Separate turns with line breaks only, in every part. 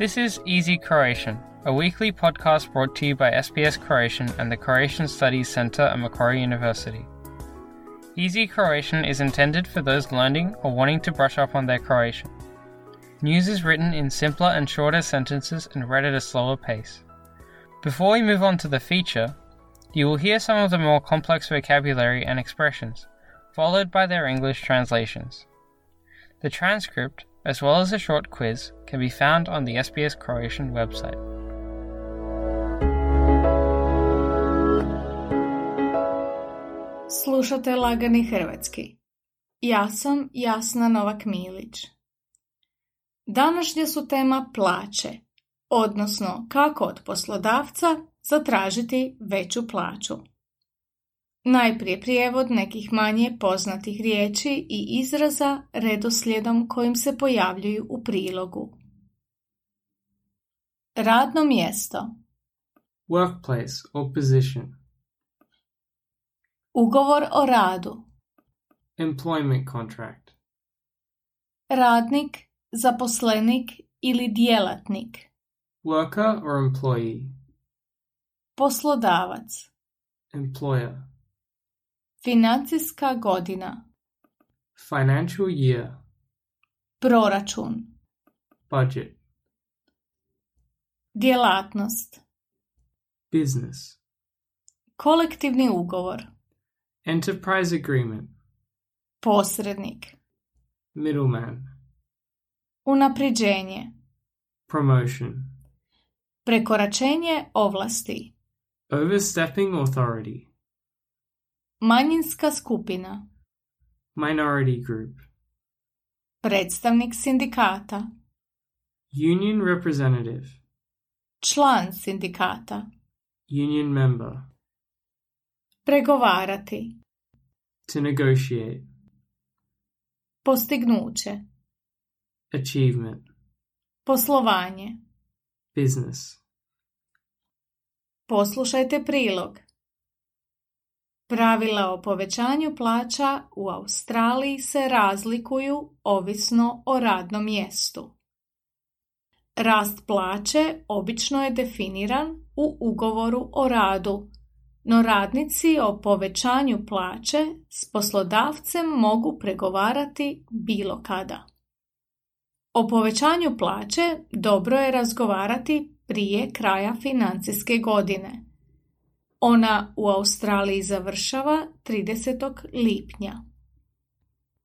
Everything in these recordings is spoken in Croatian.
This is Easy Croatian, a weekly podcast brought to you by SBS Croatian and the Croatian Studies Centre at Macquarie University. Easy Croatian is intended for those learning or wanting to brush up on their Croatian. News is written in simpler and shorter sentences and read at a slower pace. Before we move on to the feature, you will hear some of the more complex vocabulary and expressions, followed by their English translations. The transcript, as well as a short quiz, can be found on the SBS Croatian website.
Slušate Lagani hrvatski. Ja sam Jasna Novak-Milić. Današnja su tema plaće, odnosno kako od poslodavca zatražiti veću plaću. Najprije prijevod nekih manje poznatih riječi i izraza redoslijedom kojim se pojavljuju u prilogu. Radno mjesto.
Workplace or position.
Ugovor o radu.
Employment contract.
Radnik, zaposlenik ili djelatnik.
Worker or employee.
Poslodavac.
Employer.
Financijska godina.
Financial year.
Proračun.
Budget.
Djelatnost.
Business.
Kolektivni ugovor.
Enterprise agreement.
Posrednik.
Middleman.
Unapređenje.
Promotion.
Prekoračenje ovlasti.
Overstepping authority.
Manjinska skupina.
Minority group.
Predstavnik sindikata.
Union representative.
Član sindikata.
Union member.
Pregovarati.
To negotiate.
Postignuće.
Achievement.
Poslovanje.
Business.
Poslušajte prilog. Pravila o povećanju plaća u Australiji se razlikuju ovisno o radnom mjestu. Rast plaće obično je definiran u ugovoru o radu, no radnici o povećanju plaće s poslodavcem mogu pregovarati bilo kada. O povećanju plaće dobro je razgovarati prije kraja financijske godine. Ona u Australiji završava 30. lipnja.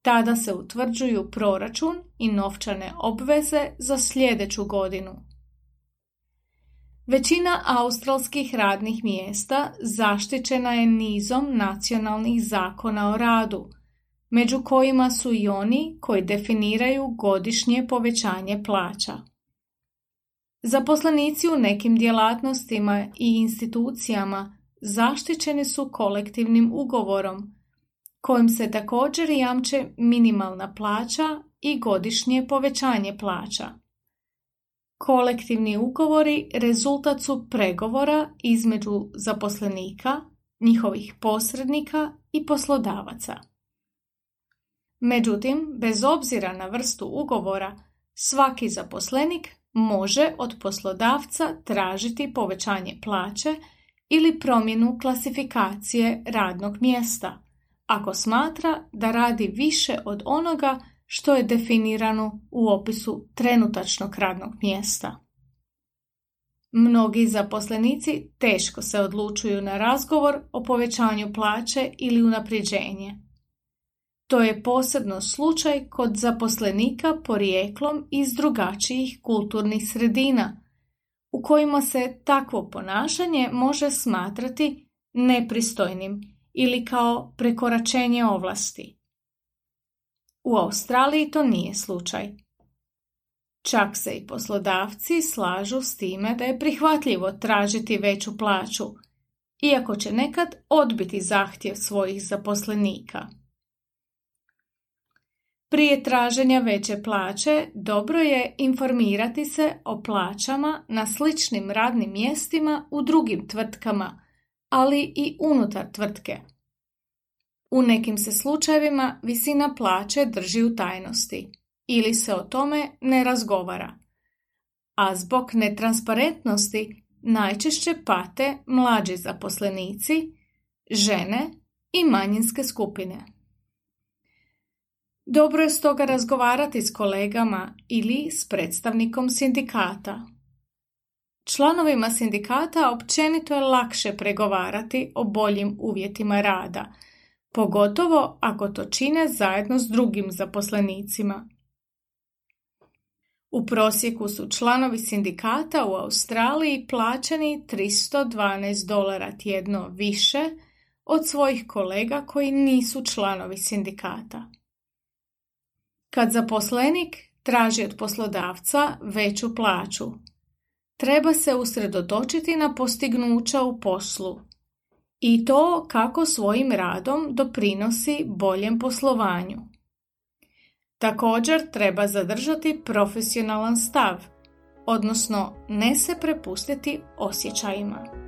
Tada se utvrđuju proračun i novčane obveze za sljedeću godinu. Većina australskih radnih mjesta zaštićena je nizom nacionalnih zakona o radu, među kojima su i oni koji definiraju godišnje povećanje plaća. Zaposlenici u nekim djelatnostima i institucijama zaštićeni su kolektivnim ugovorom, kojim se također jamče minimalna plaća i godišnje povećanje plaća. Kolektivni ugovori rezultat su pregovora između zaposlenika, njihovih posrednika i poslodavaca. Međutim, bez obzira na vrstu ugovora, svaki zaposlenik može od poslodavca tražiti povećanje plaće ili promjenu klasifikacije radnog mjesta, ako smatra da radi više od onoga što je definirano u opisu trenutačnog radnog mjesta. Mnogi zaposlenici teško se odlučuju na razgovor o povećanju plaće ili unapređenje. To je posebno slučaj kod zaposlenika porijeklom iz drugačijih kulturnih sredina, u kojima se takvo ponašanje može smatrati nepristojnim ili kao prekoračenje ovlasti. U Australiji to nije slučaj. Čak se i poslodavci slažu s time da je prihvatljivo tražiti veću plaću, iako će nekad odbiti zahtjev svojih zaposlenika. Prije traženja veće plaće dobro je informirati se o plaćama na sličnim radnim mjestima u drugim tvrtkama, ali i unutar tvrtke. U nekim se slučajevima visina plaće drži u tajnosti ili se o tome ne razgovara, a zbog netransparentnosti najčešće pate mlađi zaposlenici, žene i manjinske skupine. Dobro je stoga razgovarati s kolegama ili s predstavnikom sindikata. Članovima sindikata općenito je lakše pregovarati o boljim uvjetima rada, pogotovo ako to čine zajedno s drugim zaposlenicima. U prosjeku su članovi sindikata u Australiji plaćeni $312 tjedno više od svojih kolega koji nisu članovi sindikata. Kad zaposlenik traži od poslodavca veću plaću, treba se usredotočiti na postignuća u poslu i to kako svojim radom doprinosi boljem poslovanju. Također treba zadržati profesionalan stav, odnosno ne se prepustiti osjećajima.